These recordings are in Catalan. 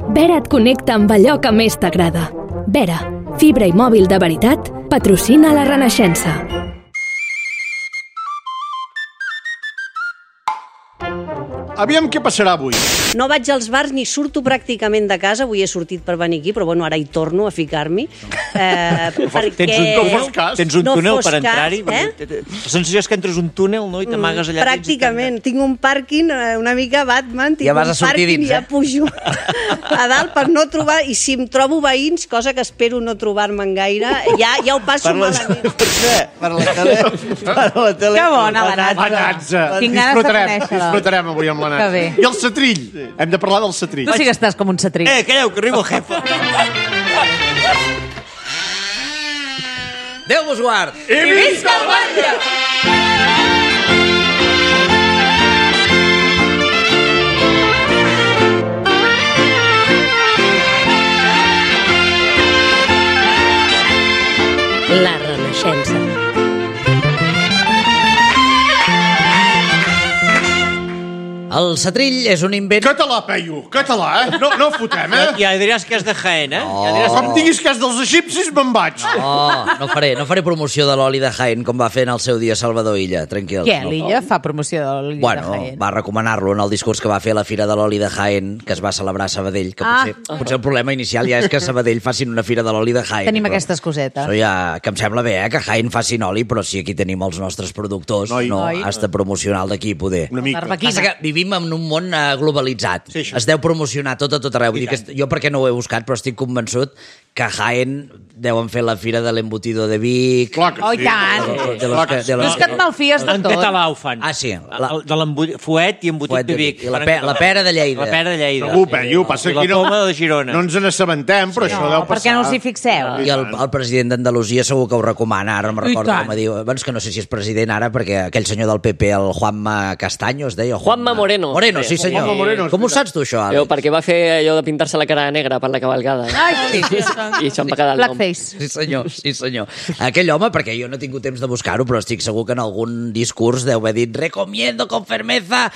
Vera et connecta amb allò que més t'agrada. Vera, fibra i mòbil de veritat, patrocina la Renaixença. Aviam què passarà avui. No vaig als bars ni surto pràcticament de casa. Avui he sortit per venir aquí, però bueno, ara hi torno a ficar-m'hi. Tens un túnel per entrar-hi? La sensació és que entres un túnel, no? I t'amagues allà. Pràcticament. Tinc un pàrquing una mica Batman. Tinc un pàrquing i ja pujo a dalt per no trobar... I si em trobo veïns, cosa que espero no trobar-me'n gaire, ja ho passo malament. Per la tele. Que bona la Natza. La Natza. Tinc ganes de conèixer-la. Disfrutarem avui amb la Natza. Que bé. I el setrill. Hem de parlar del setrill. Tu sí que estàs com un setrill. Calleu, que arriba el jefe. Déu vos guard! I visca el Batlle! La Renaixença. El setrill és un invent... Català, Peyu, català, eh? No fotem, eh? Ja diràs que és de Jaén, eh? Com diguis que és dels egipcis, me'n vaig. No faré promoció de l'oli de Jaén com va fer en el seu dia Salvador Illa, tranquil. Què, l'Illa fa promoció de l'oli de Jaén? Va recomanar-lo en el discurs que va fer a la Fira de l'Oli de Jaén, que es va celebrar a Sabadell, que potser el problema inicial ja és que a Sabadell facin una Fira de l'Oli de Jaén. Tenim aquestes cosetes. Això ja, que em sembla bé, que Jaén facin oli, però si aquí tenim els nostres productors, has de promocionar el d'aquí, poder. Una mica. Passa que vivim en un món globalitzat. Es deu promocionar tot a tot arreu. Vull dir que jo perquè no ho he buscat, però estic convençut que a Jaén deuen fer la fira de l'embutido de Vic. Clar que sí. Oh, i tant. No és que et malfies de En tot. català ho fan. Ah, sí. De l'embutit i embutit de Vic. I la pera de Lleida. La pera de Lleida. Segur, Peyu, passa I la poma de Girona. No ens n'assabentem, però això deu passar. Per què no us hi fixeu? I el president d'Andalusia segur que ho recomana. Ara no me'n recordo com diu. És que no sé si és president ara, perquè aquell senyor del PP, el Juanma Castaño, es deia? Juanma Moreno. Moreno, sí senyor. Com ho saps tu, això, Àlex? Perquè va fer allò de pintar-se la cara negra per la cavalgada. Ai, sí. I això em va quedar el nom. Blackface. Sí senyor. Aquell home, perquè jo no he tingut temps de buscar-ho, però estic segur que en algun discurs deu haver dit recomiendo con fermeza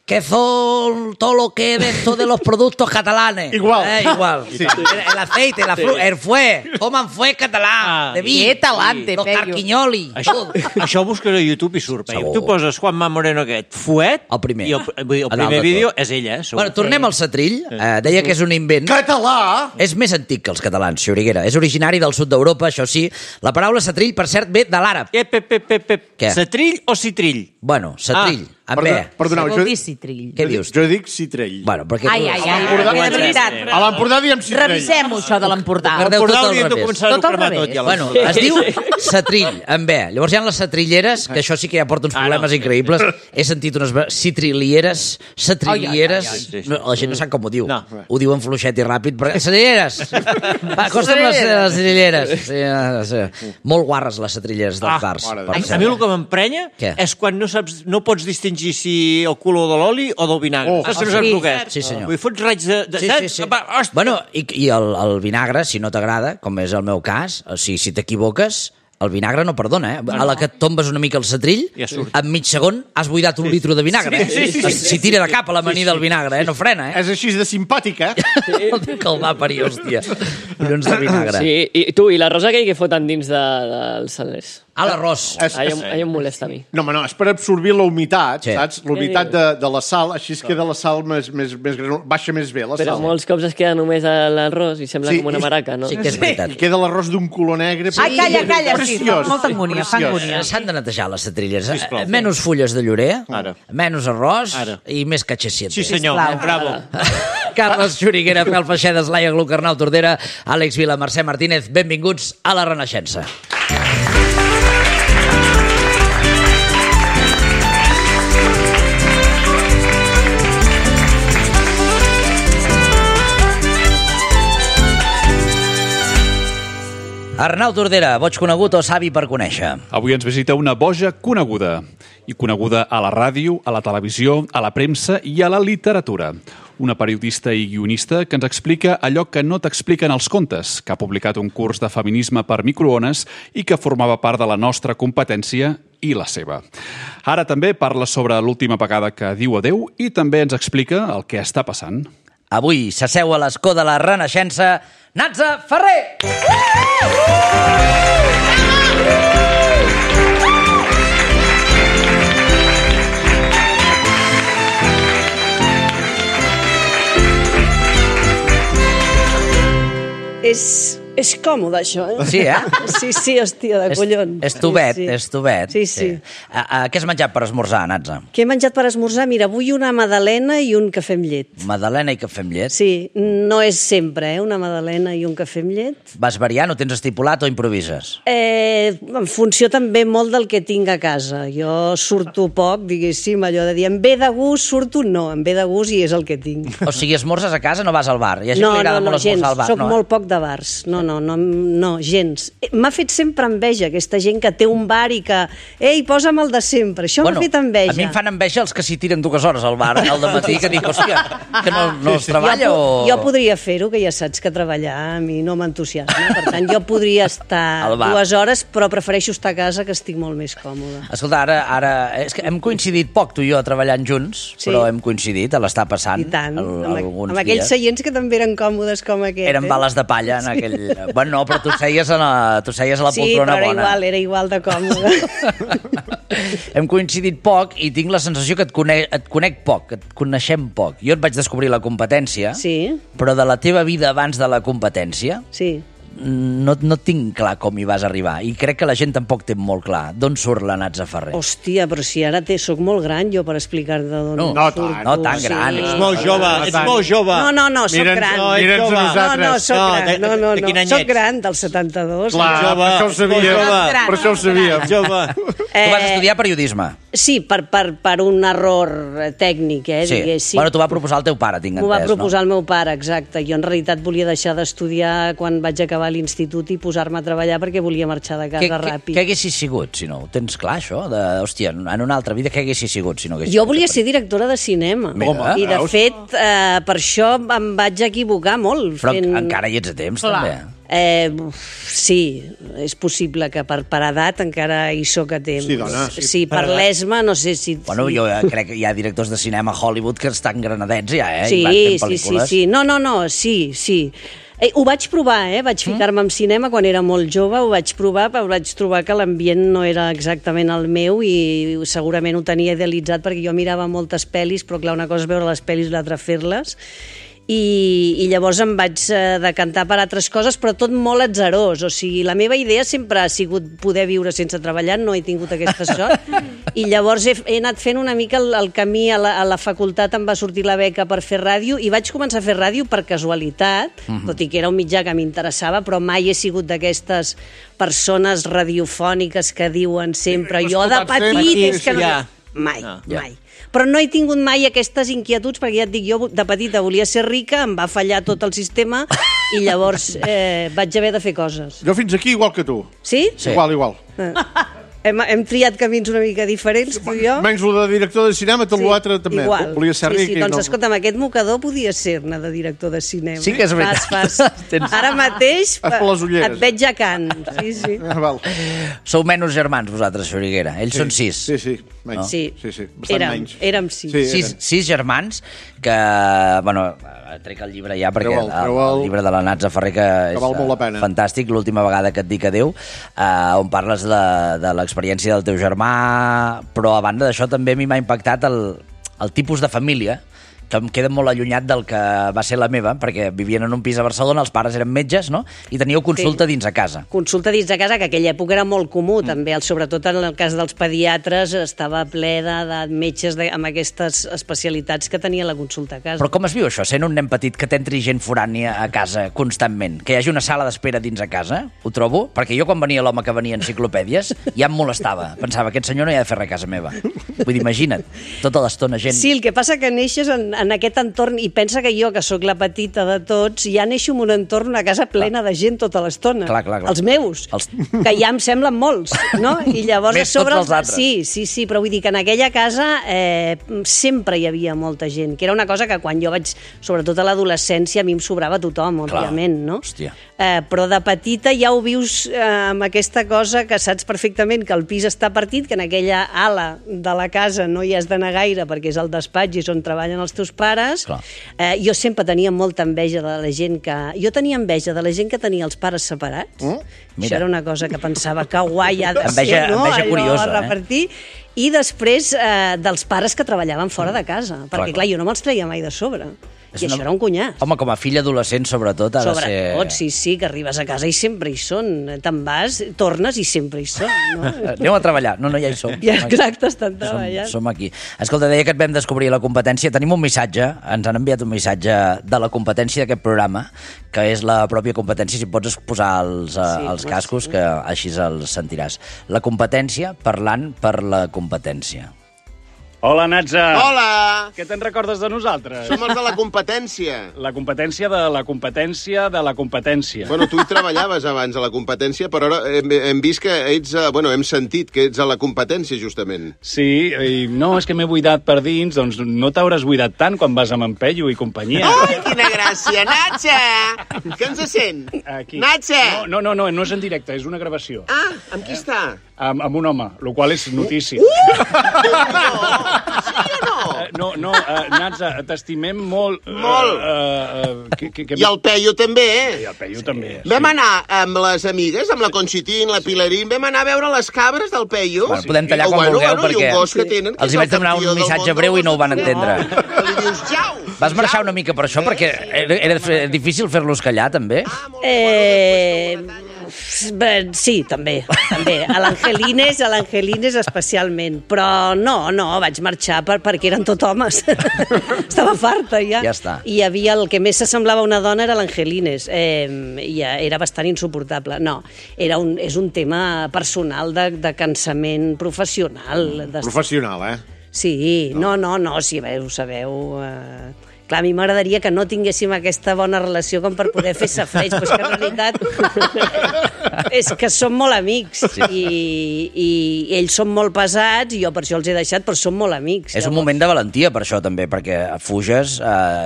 que son todo lo que es esto de los productos catalanes. Igual. Sí. El aceite, el fuet, toman fuet català, de vi. Que talante, los Peyu. carquinyoli. Això ho busques a YouTube i surt. Tu poses Juanma Moreno aquest, fuet, el primer. I el primer vídeo és ella. Bueno, tornem al setrill. Deia que és un invent... Català! És més antic que els catalans, Xuriguera. És originari del sud d'Europa, això sí. La paraula setrill, per cert, ve de l'àrab. Què? Setrill o citrill? Bueno, setrill. Amb bé. Perdoneu, Vol dir citrill. Què dius? Jo dic citrell. Bueno, perquè... Ai, de veritat. A l'Empordà diem citrell. Revisem-ho, això de l'Empordà. L'Empordà hauríem de començar a cremar tot, ja. Bueno, es diu setrill, amb bé. Llavors hi ha les setrilleres, que això sí que ja porta uns problemes increïbles. He sentit unes citrillieres, setrilieres... La gent no sap com ho diu. Ho diuen fluixet i ràpid, però... Setrilleres! Va, acosta'm les setrilleres. Sí. Molt guarres les setrilleres dels bars. A mi el que m'emprenya és quan no pots distingir si el color de l'oli o del vinagre. Saps que no saps el que és? Sí, senyor. Vull fots raig de... Sí. Bueno, i el vinagre, si no t'agrada, com és el meu cas, o sigui, si t'equivoques, el vinagre no perdona, eh? A la que et tombes una mica el setrill, en mig segon has buidat un litro de vinagre. Si tira de cap a l'amanida del vinagre, no frena, eh? És així de simpàtic, eh? El que el va parir, hòstia. Collons de vinagre. Sí, i tu, i l'arròs aquell que foten dins dels salers? L'arròs. Allò em molesta a mi. No, és per absorbir la humitat, saps? La humitat de la sal, així es queda la sal baixa més bé, la sal. Però molts cops es queda només l'arròs i sembla com una maraca, no? Sí que és veritat. I queda l'arròs d'un color negre. Ai, calla, sí, fa molta angúnia, S'han de netejar les setrillers. Menys fulles de llorer, menys arròs i més catxessiet. Sí, senyor, bravo. Carles Xuriguera, Pèl Feixedes, Laia Gluc, Arnau Tordera, Àlex Vila, Mercè Martínez, benvinguts a la Renaixença. Arnau Tordera, boig conegut o savi per conèixer? Avui ens visita una boja coneguda. I coneguda a la ràdio, a la televisió, a la premsa i a la literatura. Una periodista i guionista que ens explica allò que no t'expliquen els contes, que ha publicat un curs de feminisme per microones i que formava part de la nostra competència i la seva. Ara també parla sobre l'última vegada que diu adeu i també ens explica el que està passant. Avui s'asseu a l'escó de la Renaixença Natza Ferrer! És còmode, això, eh? Sí, Sí, hòstia, de collons. És tubet. Sí. Què has menjat per esmorzar, Natza? Què he menjat per esmorzar? Mira, avui una magdalena i un cafè amb llet. Magdalena i cafè amb llet? Sí, no és sempre, una magdalena i un cafè amb llet. Vas variant, ho tens estipulat o improvises? En funció també molt del que tinc a casa. Jo surto poc, diguéssim, allò de dir, em ve de gust, surto, no, em ve de gust i és el que tinc. O sigui, esmorzes a casa, no vas al bar? Hi ha gent que li agrada molt esmorzar al bar. Soc molt poc de bars. No, gens. M'ha fet sempre enveja aquesta gent que té un bar i que, ei, posa'm el de sempre. Això m'ha fet enveja. A mi em fan enveja els que s'hi tiren 2 hores al bar al dematí, que dic, hòstia, que no es treballa o... Jo podria fer-ho, que ja saps que treballar a mi no m'entusiasma. Per tant, jo podria estar 2 hores, però prefereixo estar a casa, que estic molt més còmode. Escolta, ara és que hem coincidit poc, tu i jo, treballant junts, però hem coincidit a l'estar passant. I tant, amb aquells seients que també eren còmodes com aquest. Eren bales de palla en aquell... Bueno, no, però tu seies a la poltrona bona. Sí, però era igual de còmode. Hem coincidit poc i tinc la sensació que et conec poc, que et coneixem poc. Jo et vaig descobrir la competència, però de la teva vida abans de la competència... Sí. No tinc clar com hi vas arribar i crec que la gent tampoc té molt clar d'on surt la Natza Ferrer. Hòstia, però si ara soc molt gran jo per explicar-te d'on surt. No tan gran. Ets molt jove. No, soc gran. Mira'ns a nosaltres. No, soc gran, del 72. Clar, per això ho sabíem. Jove. Tu vas estudiar periodisme. Sí, per un error tècnic, diguéssim. Bueno, t'ho va proposar el teu pare, tinc entès, no? M'ho va proposar el meu pare, exacte. Jo en realitat volia deixar d'estudiar quan vaig acabar l'institut i posar-me a treballar perquè volia marxar de casa ràpid. Què haguessis sigut, si no? Ho tens clar, això? Hòstia, en una altra vida què haguessis sigut, si no haguessis... Jo volia ser directora de cinema. I, de fet, per això em vaig equivocar molt. Però encara hi ets a temps, també. Sí, és possible que per edat encara hi soc a temps. Sí, dona. Sí, per l'esma, no sé si... Bueno, jo crec que hi ha directors de cinema a Hollywood que estan granadets ja, Sí. No, sí. Ho vaig provar, vaig ficar-me en cinema quan era molt jove, ho vaig provar, però vaig trobar que l'ambient no era exactament el meu i segurament ho tenia idealitzat perquè jo mirava moltes pel·lis, però clar, una cosa és veure les pel·lis i l'altra fer-les. I llavors em vaig decantar per altres coses, però tot molt atzarós. O sigui, la meva idea sempre ha sigut poder viure sense treballar, no he tingut aquesta sort. I llavors he anat fent una mica el camí a la facultat, em va sortir la beca per fer ràdio, i vaig començar a fer ràdio per casualitat, tot i que era un mitjà que m'interessava, però mai he sigut d'aquestes persones radiofòniques que diuen sempre jo de petit... Mai. Però no he tingut mai aquestes inquietuds, perquè ja et dic, jo de petita volia ser rica, em va fallar tot el sistema i llavors vaig haver de fer coses. Jo fins aquí igual que tu. Sí? Igual. Hem triat camins una mica diferents, tu i jo. Menys el de director de cinema, tot l'altre també. Igual. Volia ser ric. Sí, doncs escolta'm, aquest mocador podia ser-ne de director de cinema. Sí que és veritat. Ara mateix et veig a Can. Sí. Sou menys germans, vosaltres, Xuriguera. Ells són 6. Sí. Bastant menys. Érem 6. 6 germans que, bueno, trec el llibre ja perquè el llibre de la Natza Ferrer que és fantàstic, l'última vegada que et dic adéu, on parles de l'experiència del teu germà, però a banda d'això també a mi m'ha impactat el tipus de família que em queda molt allunyat del que va ser la meva, perquè vivien en un pis a Barcelona, els pares eren metges, no? I teníeu consulta dins a casa. Consulta dins a casa, que aquella època era molt comú, també, sobretot en el cas dels pediatres, estava ple de metges amb aquestes especialitats que tenia la consulta a casa. Però com es viu això, sent un nen petit que t'entri gent forània a casa constantment? Que hi hagi una sala d'espera dins a casa? Ho trobo? Perquè jo quan venia l'home que venia enciclopèdies ja em molestava. Pensava, aquest senyor no hi ha de fer res a casa meva. Vull dir, imagina't, tota l'estona gent... Sí, el que passa que neixes en aquest entorn, i pensa que jo, que sóc la petita de tots, ja neixo en un entorn, una casa plena de gent tota l'estona. Clar. Els meus, que ja em semblen molts, no? I llavors més tots els altres. Sí, però vull dir que en aquella casa sempre hi havia molta gent, que era una cosa que quan jo vaig, sobretot a l'adolescència, a mi em sobrava tothom, òbviament, no? Hòstia. Però de petita ja ho vius amb aquesta cosa que saps perfectament que el pis està partit, que en aquella ala de la casa no hi has d'anar gaire perquè és el despatx i és on treballen els teus seus pares. Jo sempre tenia molta enveja de la gent que... Jo tenia enveja de la gent que tenia els pares separats. Això era una cosa que pensava que guai ha de ser, no? Enveja curiosa, repartir. I després dels pares que treballaven fora de casa. Perquè, clar, jo no me'ls treia mai de sobre. I això era un cunyàs. Home, com a fill adolescent, sobretot, ha de ser... Sobretot, sí, que arribes a casa i sempre hi són. Te'n vas, tornes i sempre hi són. No? Aneu a treballar. No, ja hi som. Ja, exacte, estan treballant. Som aquí. Escolta, deia que et vam descobrir la competència. Tenim un missatge, ens han enviat un missatge de la competència d'aquest programa, que és la pròpia competència, si pots posar els cascos, que així els sentiràs. La competència parlant per la competència. Hola, Natza. Hola. Què te'n recordes de nosaltres? Som els de la competència. La competència de la competència de la competència. Bueno, tu hi treballaves abans a la competència, però ara hem vist que ets... hem sentit que ets a la competència, justament. Sí, i no, és que m'he buidat per dins, doncs no t'hauràs buidat tant quan vas amb en Pello i companyia. Ai, quina gràcia, Natza! Què ens sent? Aquí. Natza! No és en directe, és una gravació. Ah, amb qui està? Amb un home, el qual és notícia. No, Natza, t'estimem molt. Molt. I el Pello també, I el Pello també. Vam anar amb les amigues, amb la Conxitín, la Pilarín, vam anar a veure les cabres del Pello. Bueno, podem tallar quan vulgueu, perquè els hi vaig demanar un missatge breu i no ho van entendre. Li dius, jau! Vas marxar una mica per això, perquè era difícil fer-los callar, també? Sí, també. A l'Angelines especialment. Però no, vaig marxar perquè eren tot homes. Estava farta, ja. Ja està. I hi havia el que més s'assemblava a una dona era l'Angelines. Era bastant insuportable. No, és un tema personal de cansament professional. Professional, Sí, no, sí, ho sabeu... Clar, a mi m'agradaria que no tinguéssim aquesta bona relació com per poder fer safareig, però és que en realitat és que som molt amics i ells són molt pesats i jo per això els he deixat, però som molt amics. És un moment de valentia per això també, perquè fuges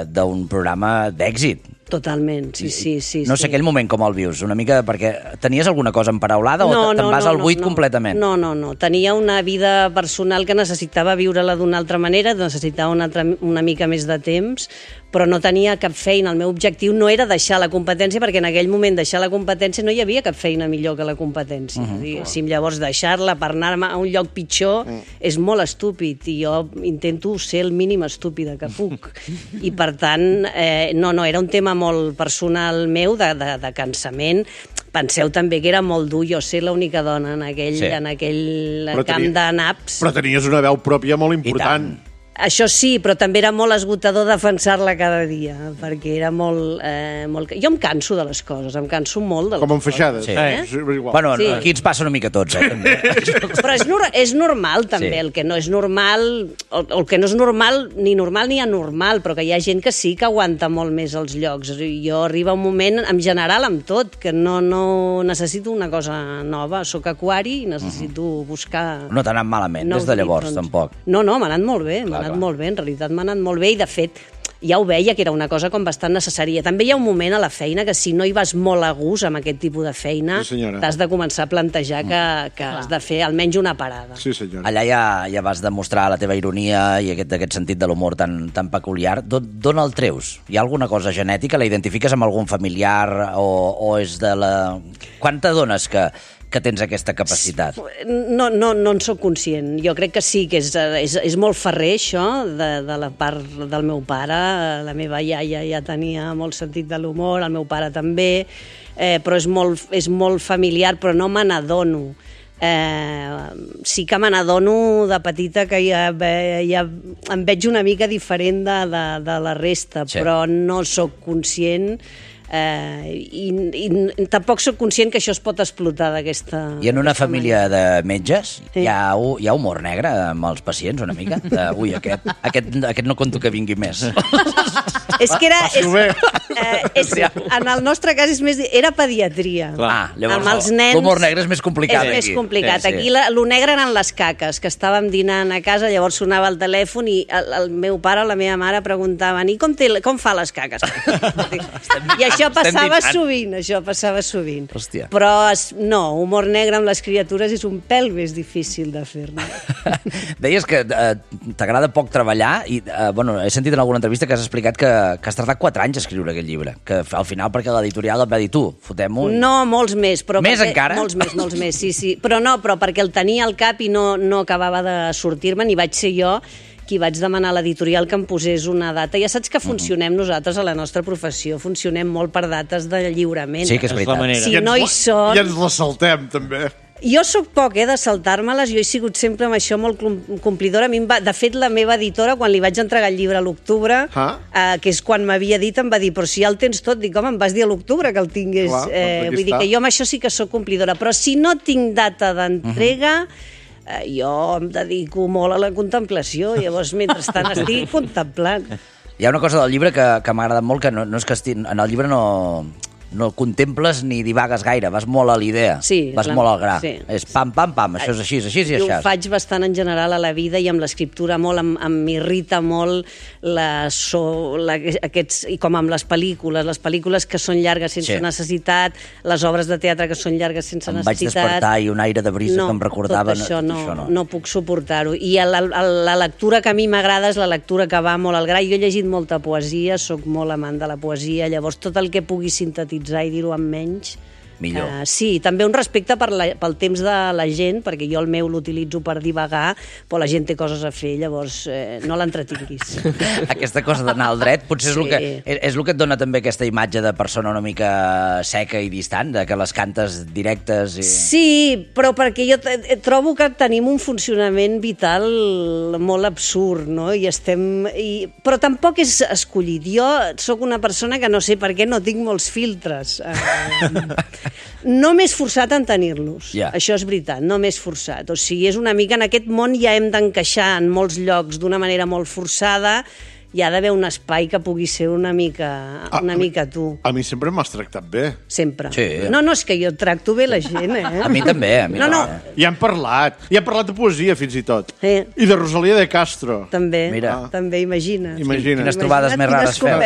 d'un programa d'èxit. Totalment, sí. No sé aquell moment com el vius, una mica, perquè tenies alguna cosa emparaulada o te'n vas al buit completament? No. Tenia una vida personal que necessitava viure-la d'una altra manera, necessitava una mica més de temps, però no tenia cap feina. El meu objectiu no era deixar la competència, perquè en aquell moment deixar la competència no hi havia cap feina millor que la competència. Diguéssim, llavors deixar-la per anar-me a un lloc pitjor és molt estúpid i jo intento ser el mínim estúpida que puc. I per tant, no, era un tema molt personal meu, de cansament. Penseu també que era molt dur jo ser l'única dona en aquell camp de naps. Però tenies una veu pròpia molt important. Això sí, però també era molt esgotador defensar-la cada dia, perquè era molt... Jo em canso de les coses, em canso molt de les coses. Com enfaixades. Sí. Bueno, aquí ens passa una mica a tots, també. Però és normal, també. El que no és normal, el que no és normal ni anormal, però que hi ha gent que sí que aguanta molt més els llocs. Jo arriba un moment, en general, amb tot, que no necessito una cosa nova. Soc aquari i necessito buscar... No t'ha anat malament, des de llavors, tampoc. No, m'ha anat molt bé, en realitat m'ha anat molt bé i de fet ja ho veia que era una cosa com bastant necessària. També hi ha un moment a la feina que si no hi vas molt a gust amb aquest tipus de feina t'has de començar a plantejar que has de fer almenys una parada. Sí, senyora. Allà ja vas demostrar la teva ironia i aquest sentit de l'humor tan peculiar. D'on el treus? Hi ha alguna cosa genètica? La identifiques amb algun familiar o és de la... Quan t'adones que tens aquesta capacitat? No en soc conscient. Jo crec que sí, que és molt ferrer, això, de la part del meu pare. La meva iaia ja tenia molt sentit de l'humor, el meu pare també, però és molt familiar, però no me n'adono. Sí que me n'adono de petita que ja em veig una mica diferent de la resta, però no sóc conscient. I tampoc sóc conscient que això es pot explotar d'aquesta... I en una família de metges hi ha humor negre amb els pacients, una mica? Ui, aquest no conto que vingui més. És que En el nostre cas era pediatria. Llavors, amb els nens... l'humor negre és més complicat. És més complicat. Aquí lo negre eren les caques, que estàvem dinant a casa, llavors sonava el telèfon i el meu pare o la meva mare preguntaven i com fa les caques? I això passava sovint, Hòstia. Però no, humor negre amb les criatures és un pèl més difícil de fer-ne. Deies que t'agrada poc treballar i, he sentit en alguna entrevista que has explicat que has tardat 4 anys a escriure aquest llibre, que al final perquè l'editorial et va dir tu, fotem-ho... No, molts més. Més encara? Molts més, sí. Però perquè el tenia al cap i no acabava de sortir-me'n i vaig ser jo qui vaig demanar a l'editorial que em posés una data. Ja saps que funcionem nosaltres a la nostra professió, funcionem molt per dates de lliurament. Sí, que és veritat. Si no hi són... I ens la saltem, també. Jo sóc poc, de saltar-me-les, jo he sigut sempre amb això molt complidora. De fet, la meva editora, quan li vaig entregar el llibre a l'octubre, que és quan m'havia dit, em va dir, però si ja el tens tot, dic, home, em vas dir a l'octubre que el tingués. Vull dir que jo amb això sí que sóc complidora, però si no tinc data d'entrega, jo em dedico molt a la contemplació, llavors mentrestant estic contemplant. Hi ha una cosa del llibre que m'ha agradat molt, que no és que en el llibre no contemples ni divagues gaire, vas molt a l'idea, vas molt al gra. Sí. És pam, això és així i això. Jo ho faig bastant en general a la vida i amb l'escriptura molt, m'irrita molt i com amb les pel·lícules que són llargues sense necessitat, les obres de teatre que són llargues sense necessitat. Em vaig despertar i un aire de brisa que em recordava... Tot això no puc suportar-ho. I la lectura que a mi m'agrada és la lectura que va molt al gra. Jo he llegit molta poesia, sóc molt amant de la poesia, llavors tot el que pugui sintetitzar i dir-ho amb menys, millor. Sí, també un respecte pel temps de la gent, perquè jo el meu l'utilitzo per divagar, però la gent té coses a fer, llavors no l'entretinguis. Aquesta cosa d'anar al dret potser és el que et dona també aquesta imatge de persona una mica seca i distant, de que les cantes directes... Sí, però perquè jo trobo que tenim un funcionament vital molt absurd, no? Però tampoc és escollit. Jo sóc una persona que no sé per què no tinc molts filtres. No m'he esforçat en tenir-los, això és veritat, no m'he esforçat. O sigui, és una mica, en aquest món ja hem d'encaixar en molts llocs d'una manera molt forçada, hi ha d'haver un espai que pugui ser una mica tu. A mi sempre m'has tractat bé. Sempre. Sí. No, és que jo tracto bé la gent, A mi també, No. I hem parlat de poesia, fins i tot. I de Rosalía de Castro. També, Mira. també, imagina't. Quines trobades més rares feu.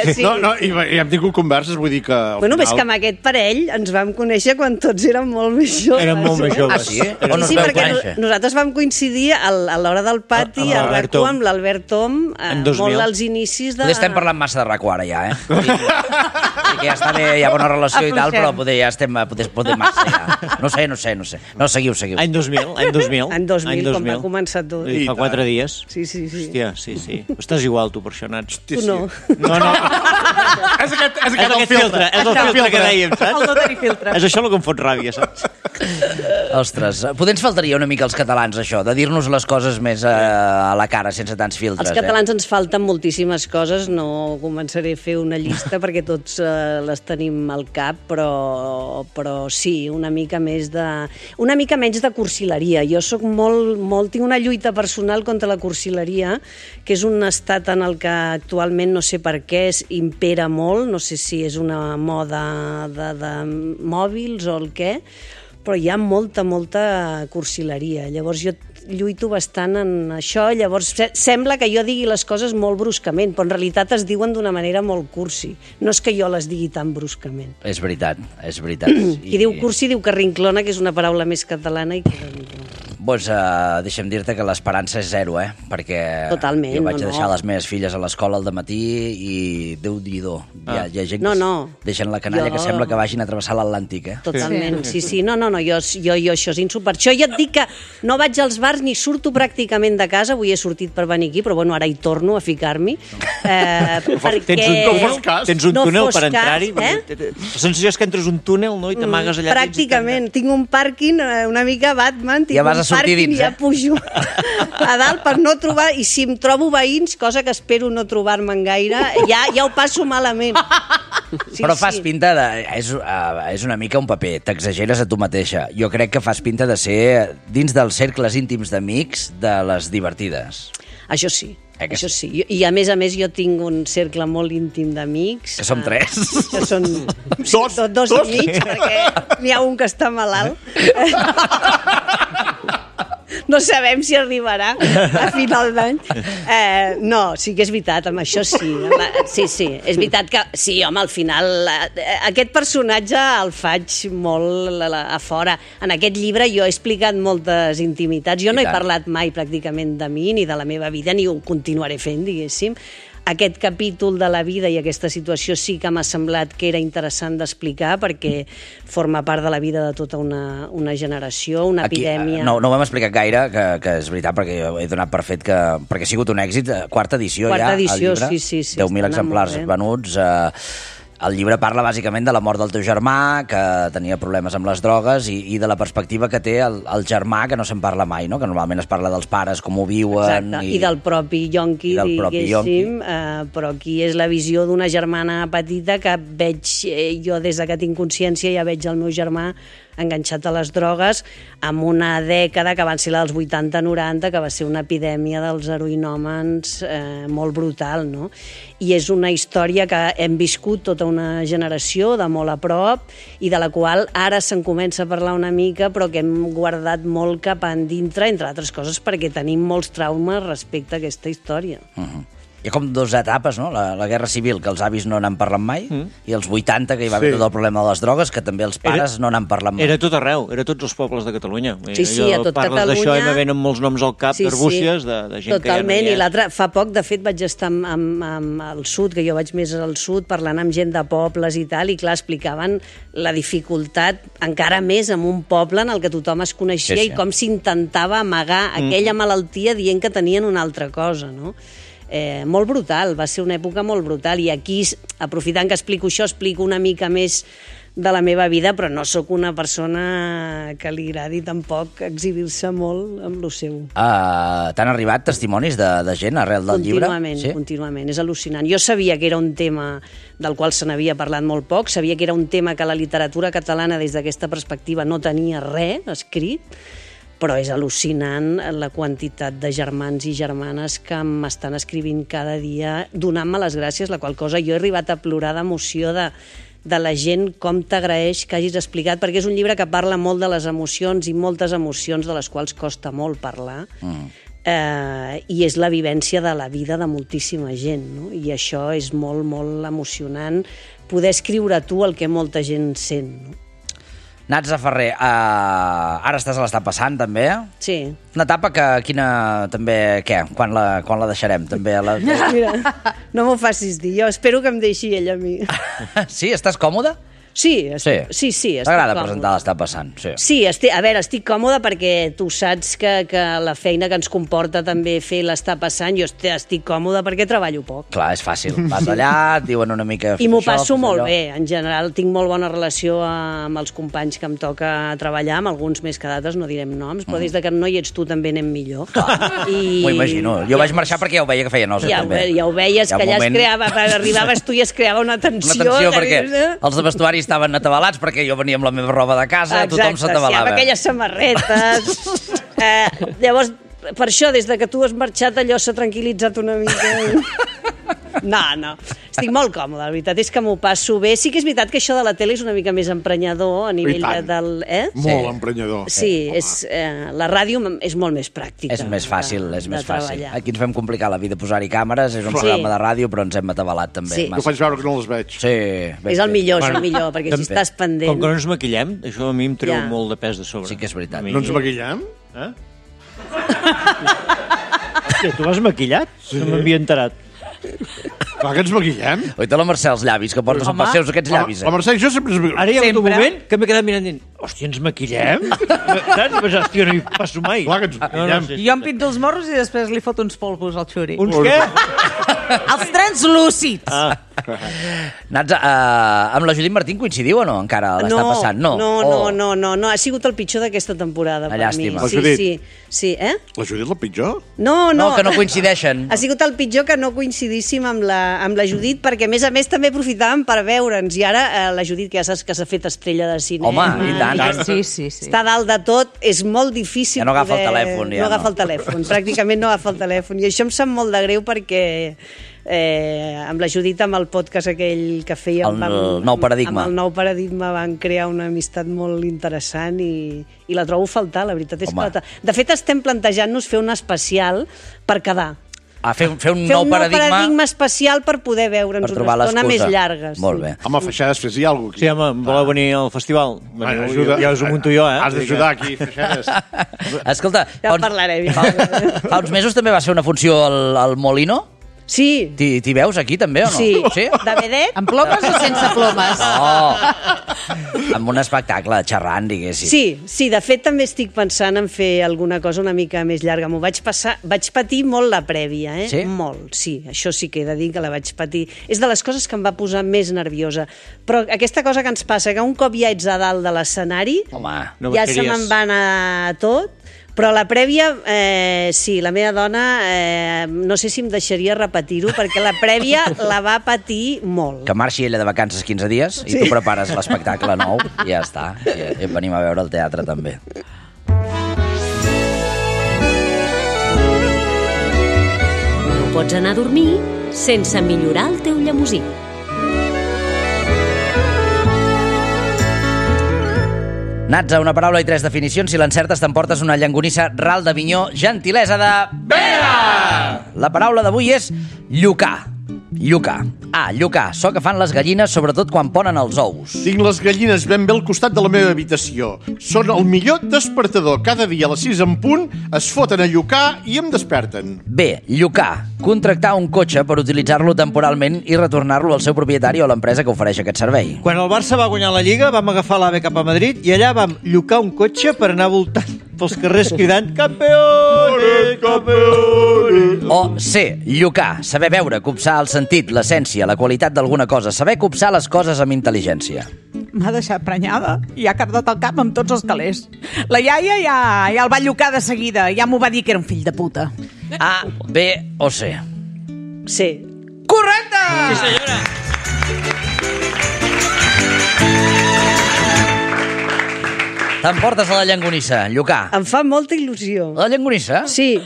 I hem tingut converses, vull dir que... Bueno, és que amb aquest parell ens vam conèixer quan tots érem molt més joves. Érem molt més joves. Sí, sí, perquè nosaltres vam coincidir a l'hora del pati, a RAC1, amb l'Albert Tom, molt als inicis de... Potser estem parlant massa de RAC1 ara ja, que ja està bé, hi ha bona relació i tal, però potser ja estem massa ja. No sé. No, seguiu. Any 2000. Any 2000, quan va començar tot. I fa 4 dies. Sí. Hòstia, sí. Estàs igual, tu, per això, Nats. Tu no. No. És aquest filtre. És el filtre que dèiem, saps? El no tenir filtre. És això el que em fot ràbia, saps? Ostres, potser ens faltaria una mica als catalans, això, de dir-nos les coses més a la cara, sense tants filtres. Els catalans ens falten moltíssimes coses, no començaré a fer una llista perquè tots les tenim al cap, però sí, una mica menys de cursileria. Jo soc tinc una lluita personal contra la cursileria, que és un estat en el que actualment no sé per què impera molt, no sé si és una moda de mòbils o el què, però hi ha molta cursileria. Llavors jo lluito bastant en això, llavors sembla que jo digui les coses molt bruscament, però en realitat es diuen d'una manera molt cursi. No és que jo les digui tan bruscament. És veritat. Qui diu cursi diu carrinclona, que és una paraula més catalana i carrinclona. Doncs deixa'm dir-te que l'esperança és zero, perquè totalment, jo vaig deixar les meves filles a l'escola al dematí i Déu-n'hi-do. Hi ha gent que deixen la canalla que sembla que vagin a travessar l'Atlàntic. Totalment, sí. No, jo això és insuport. Jo ja et dic que no vaig als bars ni surto pràcticament de casa, avui he sortit per venir aquí, però bueno, ara hi torno a ficar-m'hi. Tens un túnel per entrar-hi? La sensació és que entres un túnel, no?, i t'amagues allà. Pràcticament. Tinc un pàrquing una mica Batman, tinc un pàrquing i ja pujo a dalt per no trobar, i si em trobo veïns, cosa que espero no trobar-me'n gaire, ja ho passo malament. Però fas pinta de... És una mica un paper, t'exageres a tu mateixa. Jo crec que fas pinta de ser, dins dels cercles íntims d'amics, de les divertides. Això sí. Això sí. I a més jo tinc un cercle molt íntim d'amics. Que som 3. Que són dos amics, perquè n'hi ha un que està malalt. No sabem si arribarà a final d'any. No, sí que és veritat, amb això sí. Sí, és veritat que... Sí, home, al final... Aquest personatge el faig molt a fora. En aquest llibre jo he explicat moltes intimitats. Jo no he parlat mai pràcticament de mi, ni de la meva vida, ni ho continuaré fent, diguéssim. Aquest capítol de la vida i aquesta situació sí que m'ha semblat que era interessant d'explicar perquè forma part de la vida de tota una generació, una epidèmia... No ho hem explicat gaire, que és veritat, perquè jo he donat per fet que... Perquè ha sigut un èxit, quarta edició ja, el llibre. Sí. 10.000 exemplars venuts... El llibre parla bàsicament de la mort del teu germà, que tenia problemes amb les drogues, i de la perspectiva que té el germà, que no se'n parla mai, no? Que normalment es parla dels pares, com ho viuen... Exacte, i del propi Yonqui, diguéssim, però aquí és la visió d'una germana petita que veig, jo des que tinc consciència ja veig el meu germà enganxat a les drogues, amb una dècada que van ser la dels 80-90, que va ser una epidèmia dels heroïnòmens molt brutal, no? I és una història que hem viscut tota una generació de molt a prop i de la qual ara se'n comença a parlar una mica, però que hem guardat molt cap endintre, entre altres coses, perquè tenim molts traumes respecte a aquesta història. Hi ha com dues etapes, no? La Guerra Civil, que els avis no n'han parlat mai, i els 80, que hi va haver tot el problema de les drogues, que també els pares no n'han parlat mai. Era tot arreu, era tots els pobles de Catalunya. Sí, a tot Catalunya. D'això i me venen molts noms al cap d'arbúcies, de gent totalment. Que ja no hi és. I l'altre, fa poc, de fet, vaig estar al sud, que jo vaig més al sud, parlant amb gent de pobles i tal, i clar, explicaven la dificultat encara més en un poble en el que tothom es coneixia i com s'intentava amagar aquella malaltia dient que tenien una altra cosa, no? Molt brutal, va ser una època molt brutal, i aquí, aprofitant que explico això, explico una mica més de la meva vida, però no sóc una persona que li agradi tampoc exhibir-se molt amb lo seu. T'han arribat testimonis de gent arrel del llibre? Continuament, és al·lucinant. Jo sabia que era un tema del qual se n'havia parlat molt poc, sabia que era un tema que la literatura catalana des d'aquesta perspectiva no tenia res escrit, però és al·lucinant la quantitat de germans i germanes que m'estan escrivint cada dia donant-me les gràcies, la qual cosa jo he arribat a plorar d'emoció de la gent, com t'agraeix que hagis explicat, perquè és un llibre que parla molt de les emocions i moltes emocions de les quals costa molt parlar, i és la vivència de la vida de moltíssima gent, no? I això és molt, molt emocionant, poder escriure tu el que molta gent sent, no? Natza Ferrer, ara estàs a l'estar passant, també? Sí. Una etapa que, també, què? Quan la deixarem, també? Mira, no m'ho facis dir, jo espero que em deixi ella a mi. Sí? Estàs còmode? Sí, estic T'agrada presentar l'està passant? Sí, estic còmoda perquè tu saps que la feina que ens comporta també fer l'està passant, jo estic còmoda perquè treballo poc. Clar, és fàcil. Vas allà, et diuen una mica... I m'ho passo molt bé, en general. Tinc molt bona relació amb els companys que em toca treballar, amb alguns més que d'altres, no direm noms, però des que no hi ets tu també anem millor. M'ho imagino. Jo vaig marxar perquè ja ho veia que feia nosa, també. Ja ho veies, que allà es creava, arribaves tu i es creava una tensió. Una tensió perquè els de vestuari estaven atabalats perquè jo venia amb la meva roba de casa, tothom s'atabalava. Exacte, amb aquelles samarretes. Llavors, per això, des que tu has marxat, allò s'ha tranquil·litzat una mica. No, estic molt còmode, la veritat és que m'ho passo bé. Sí que és veritat que això de la tele és una mica més emprenyador a nivell del... Molt emprenyador. Sí, la ràdio és molt més pràctica. És més fàcil, Aquí ens vam complicar la vida, posar-hi càmeres, és un programa de ràdio, però ens hem atabalat també. Jo faig veure que no les veig. Sí. És el millor, perquè si estàs pendent... Com que no ens maquillem, això a mi em treu molt de pes de sobre. Sí que és veritat. No ens maquillem? Tu vas maquillat? No m'havia enterat. Clar que ens maquillem. Oita la Mercè els llavis, que portes els seus aquests llavis. La Mercè i jo sempre ens maquillem. Ara hi ha un moment que m'he quedat mirant dient, hòstia, ens maquillem? Hòstia, no hi passo mai. Clar que ens maquillem. Jo em pinto els morros i després li foto uns polvos al xuri. Uns què? Els translúcids. Natza, amb la Judit Martín coincidiu o no? Encara l'està passant? No, ha sigut el pitjor d'aquesta temporada per mi. Llàstima. Sí, La Judit la pitjor? No, que no coincideixen. Ha sigut el pitjor que no coincidíssim amb la amb la Judit, perquè a més també aprofitàvem per veure'ns, i ara la Judit, que ja saps que s'ha fet estrella de cine. Home, i tant. Sí. Està dalt de tot, és molt difícil ja no agafa el telèfon. No agafa el telèfon, pràcticament no agafa el telèfon, i això em sap molt de greu perquè amb la Judit, amb el podcast aquell que fèiem el Nou Paradigma. amb el Nou Paradigma van crear una amistat molt interessant i la trobo a faltar, la veritat és que de fet estem plantejant-nos fer un especial per quedar. Fer un nou paradigma especial per poder veure'ns una estona més llarga. Molt bé. Home, Feixades, fes-hi alguna cosa. Sí, home, voleu venir al festival? Ja us ho munto jo, Has d'ajudar aquí, Feixades. Escolta, ja parlarem. Fa uns mesos també va ser una funció al Molino? Sí. T'hi veus aquí també o no? Sí. De vedet? Amb plomes o sense plomes? No. Amb un espectacle, xerrant, diguéssim. Sí, de fet també estic pensant en fer alguna cosa una mica més llarga. Vaig patir molt la prèvia, Sí? Molt, sí. Això sí que he de dir que la vaig patir. És de les coses que em va posar més nerviosa. Però aquesta cosa que ens passa, que un cop ja ets a dalt de l'escenari, ja se me'n va anar tot. Però la prèvia, sí, la meva dona, no sé si em deixaria repetir-ho, perquè la prèvia la va patir molt. Que marxi ella de vacances 15 dies i tu prepares l'espectacle nou i ja està. I venim a veure el teatre també. No pots anar a dormir sense millorar el teu llemosí. Natza, una paraula i 3 definicions. Si l'encertes t'emportes una llonganissa ral de Vinyó, gentilesa de... Vera! La paraula d'avui és llucar. Llucar. Llucar. So que fan les gallines, sobretot quan ponen els ous. Tinc les gallines ben bé al costat de la meva habitació. Són el millor despertador. Cada dia a les 6 en punt es foten a llucar i em desperten. Bé, llucar. Contractar un cotxe per utilitzar-lo temporalment i retornar-lo al seu propietari o a l'empresa que ofereix aquest servei. Quan el Barça va guanyar la Lliga, vam agafar l'AVE cap a Madrid i allà vam llucar un cotxe per anar voltant pels carrers cridant «Campeones, campeones!». O C, llucar. Saber veure, copsar el sentit, l'essència, la qualitat d'alguna cosa. Saber copsar les coses amb intel·ligència. M'ha deixat prenyada i ha cardat el cap amb tots els calés. La iaia ja el va llucar de seguida. Ja m'ho va dir que era un fill de puta. A, B o C? C. Correcte! Sí, senyora! T'emportes a la llonganissa, llucar. Em fa molta il·lusió. La llonganissa? Sí,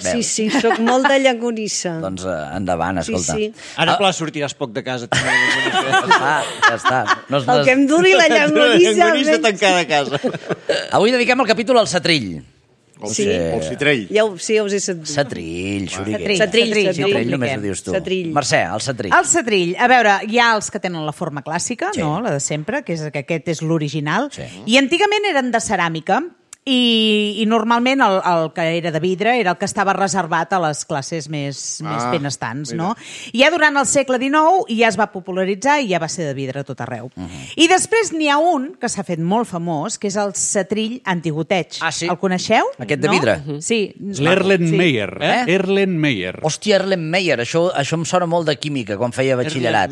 soc molt de llonganissa. Doncs endavant, escolta. Sí. Ara, clar, sortiràs poc de casa. Ja està. El que em duri la llonganissa... La llonganissa tancada a casa. Avui dediquem el capítol al setrill. O el citrell. Ja us he sentit. Setrill, xuriquer. Setrill, només ho dius tu. Setrill. Mercè, el setrill. El setrill. A veure, hi ha els que tenen la forma clàssica, no? La de sempre, que aquest és l'original. Sí. I antigament eren de ceràmica, i normalment el que era de vidre era el que estava reservat a les classes més benestants, no? I ja durant el segle XIX ja es va popularitzar i ja va ser de vidre a tot arreu. I després n'hi ha un que s'ha fet molt famós, que és el setrill antigoteig. Ah, sí? El coneixeu? Aquest de vidre? Sí. L'Erlenmeyer. Erlenmeyer. Hòstia, Erlenmeyer. Això em sona molt de química, quan feia batxillerat.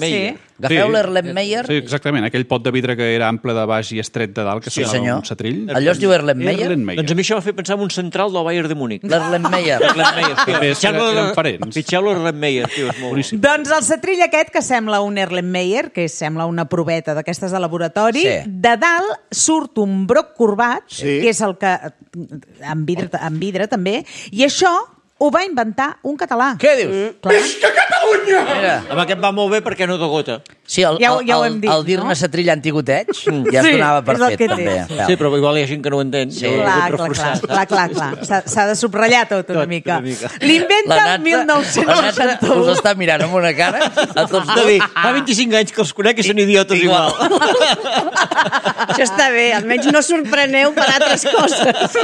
Agafeu l'Erlenmeyer? Sí, exactament. Aquell pot de vidre que era ample de baix i estret de dalt, que sonava un setrill. Allò es diu Erlenmeyer? Doncs a mi això m'ha fet pensar en un central del Bayern de Múnich. L'Erlenmeyer. Eren parents. Pitxeu l'Erlenmeyer, tio, és molt boníssim. Doncs el setrill aquest, que sembla un Erlenmeyer, que sembla una proveta d'aquestes de laboratori, de dalt surt un broc corbat, que és el que... amb vidre també, i això ho va inventar un català. Què dius? Visca Catalunya! Amb aquest va molt bé perquè no de gota. Sí, el dir-ne setrill antigoteig ja es donava per fet, també. Sí, però igual hi ha gent que no ho entén. Clar. S'ha de subratllar tot una mica. L'inventa el 1961. Us està mirant amb una cara a tots dos. Fa 25 anys que els conec i són idiotes igual. Això està bé, almenys no sorpreneu per altres coses.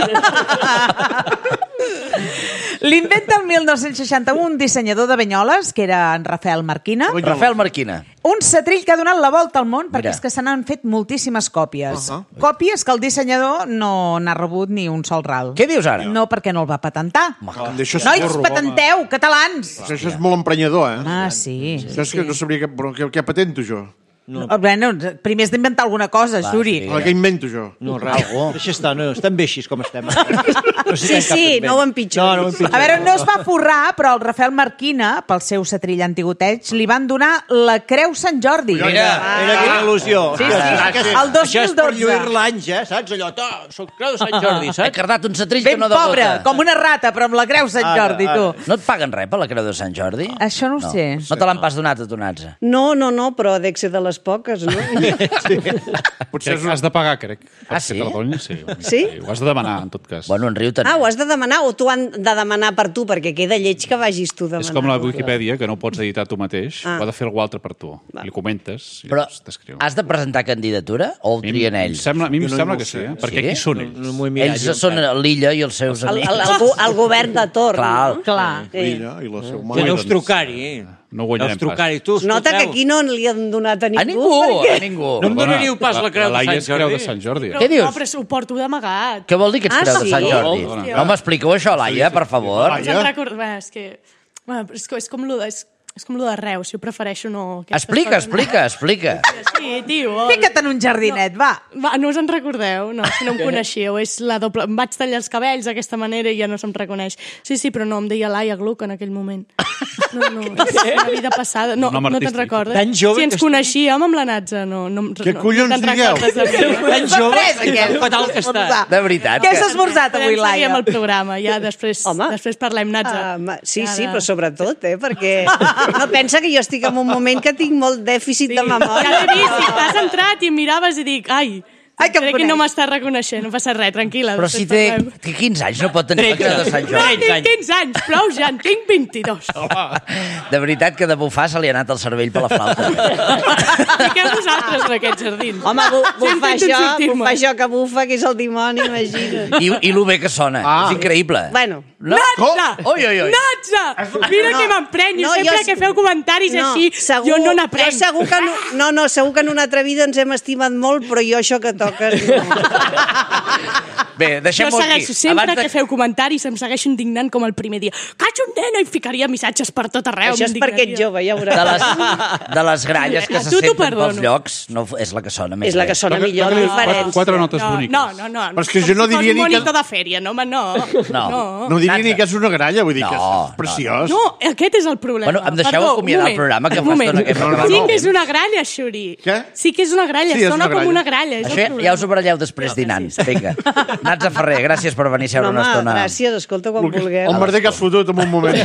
L'inventa el 1961 un dissenyador de Banyoles, que era en Rafael Marquina. Rafael Marquina. Un setrill que ha donat la volta al món, perquè és que se n'han fet moltíssimes còpies. Còpies que el dissenyador no n'ha rebut ni un sol ral. Què dius ara? No, perquè no el va patentar. Nois, patenteu, catalans! Això és molt emprenyador, Sí. Això és que no sabria què patento jo. Bueno, primer has d'inventar alguna cosa, Xuri. Què invento jo? No, res. Deixa estar, no, estem bé així com estem. Sí, no ho empitjoris. A veure, no es va forrar, però el Rafael Marquina, pel seu setrill antiguteig, li van donar la Creu Sant Jordi. Mira quina il·lusió. Sí, el 2012. Això és per lluir-la anys, saps? Allò, soc Creu de Sant Jordi, saps? He cardat un setrill que no Ben debota. pobre, com una rata, però amb la Creu Sant Jordi, tu. No et paguen res per la Creu de Sant Jordi? Això no ho sé. No te l'han pas donat a tu, Natza? No, però ha d'être de les poques, no? Potser has de pagar, crec. Sí? Sí? Ho has de demanar, en tot cas. Bueno, en Riu també. Ho has de demanar o t'ho han de demanar per tu, perquè queda lleig que vagis tu demanar. És com la Wikipedia, que no ho pots editar tu mateix, ho ha de fer algú altre per tu. Li comentes i Però t'escriu. has de presentar candidatura o ho trien ells? A mi em sembla que sí, perquè qui són ells? Ells són l'Illa i els seus amics. El govern de torn. Clar. L'Illa i la seva Ja mare. deus trucar-hi. No guanyarem pas. Nota que aquí no li han donat a ningú. A ningú. No em donaríeu pas la Creu de Laia és Sant Creu de Jordi? Sant Jordi. Què dius? No, però ho porto d'amagat. Què vol dir que ets Creu de Sant Jordi? No m'expliqueu això, Laia, per favor. És que... Bueno, és com lo de Reus, jo prefereixo no... Explica. Sí, tio. Fica't en un jardinet, va. No us en recordeu? No, si no em coneixíeu. És la doble... Em vaig tallar els cabells d'aquesta manera i ja no se'm reconeix. Sí, però no, em deia Laia Gluck en aquell moment. No, és una vida passada. No te'n recordes? Tan jove si ens coneixíem amb la Natza, no Què collons digueu? Tan jove, que fatal que està. De veritat. Què has esmorzat avui, Laia? Seguim el programa, ja després parlem, Natza. Sí, però sobretot, perquè no pensa que jo estic en un moment que tinc molt dèficit de memòria. Ja l'he vist, i t'has entrat i em miraves i dic, crec que no m'està reconeixent, no passa res, tranquil·la. Però si té 15 anys no pot tenir la Creu de Sant Jordi. No tinc 15 anys, prou ja, en tinc 22. De veritat que de bufar se li ha anat el cervell per la flauta. Fiqueu vosaltres en aquests jardins. Home, bufa això que bufa, que és el dimoni, imagina't. I lo bé que sona, és increïble. Bueno. Natza! Oi. Natza! Mira que m'emprenyo, sempre que feu comentaris així, jo no n'aprenc. Segur que en una altra vida ens hem estimat molt, però jo això que toques... Bé, deixem-ho aquí. Jo segueixo, sempre que feu comentaris em segueixo indignant com el primer dia. Caig un nena i ficaria missatges per tot arreu. Això és perquè ets jove, ja veuràs. De les gralles que se senten pels llocs, no, és la que sona més bé. És la que sona millor, diferència. 4 notes boniques. No. Però és que jo no diria ni que... Un monitor de fèria, no, home, no. No diria ni que és una gralla, vull dir que és preciós. No, aquest és el problema. Bueno, em deixeu acomiadar el programa, que fa estona que hem acabat. Sí que és una gralla, Xuri. Què? Sí que és una gralla, sona com una gralla. Això ja us ho baralleu després dinant. Vinga. Natza Ferrer, gràcies per venir a seure una estona. Gràcies, escolta, quan vulgueu. El merder que has fotut en un moment.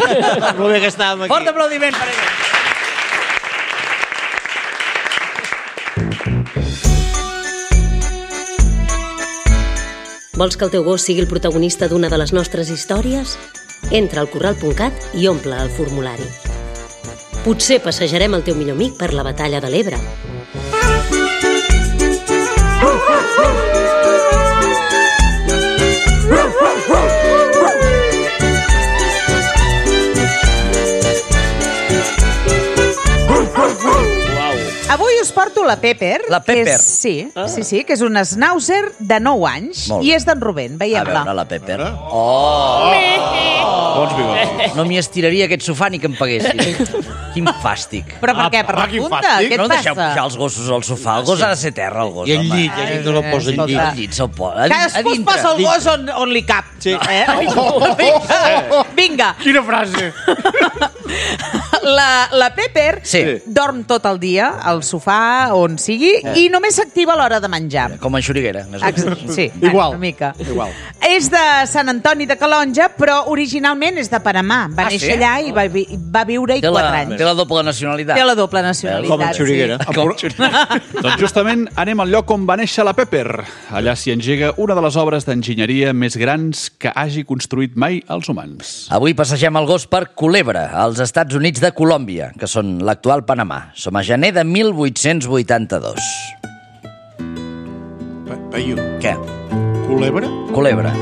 Molt bé que estàvem aquí. Fort aplaudiment per ella. Vols que el teu gos sigui el protagonista d'una de les nostres històries? Entra al corral.cat i omple el formulari. Potser passejarem el teu millor amic per la batalla de l'Ebre. Avui us porto la Pepper. La Pepper? Sí, que és una schnauzer de 9 anys i és d'en Rubén, veiem-la. A veure, la Pepper. Oh! Bons bigots. No m'hi estiraria aquest sofà ni que em paguessin. Quin fàstic. Però per què? Per la punta? Què et no deixeu passa? pujar els gossos al sofà. El gos ha de ser terra, el gos. I el llit, no el posa al llit. El llit se'l posa. Cadascú es posa el gos on li cap. Sí. Vinga. Quina frase. La Pepper dorm tot el dia al sofà, on sigui, i només s'activa a l'hora de menjar. Com en Xuriguera. Sí, igual. una mica. És de Sant Antoni de Calonja, però originalment és de Panamà. Va néixer allà i va viure-hi 4 anys. Té la doble nacionalitat. Té la doble nacionalitat. Com en Xuriguera. Doncs justament anem al lloc on va néixer la Pepper. Allà s'hi engega una de les obres d'enginyeria més grans que hagi construït mai els humans. Avui passegem el gos per Culebra, als Estats Units de Colòmbia, que són l'actual Panamà. Som a gener de 1882. Què? Culebra? Culebra.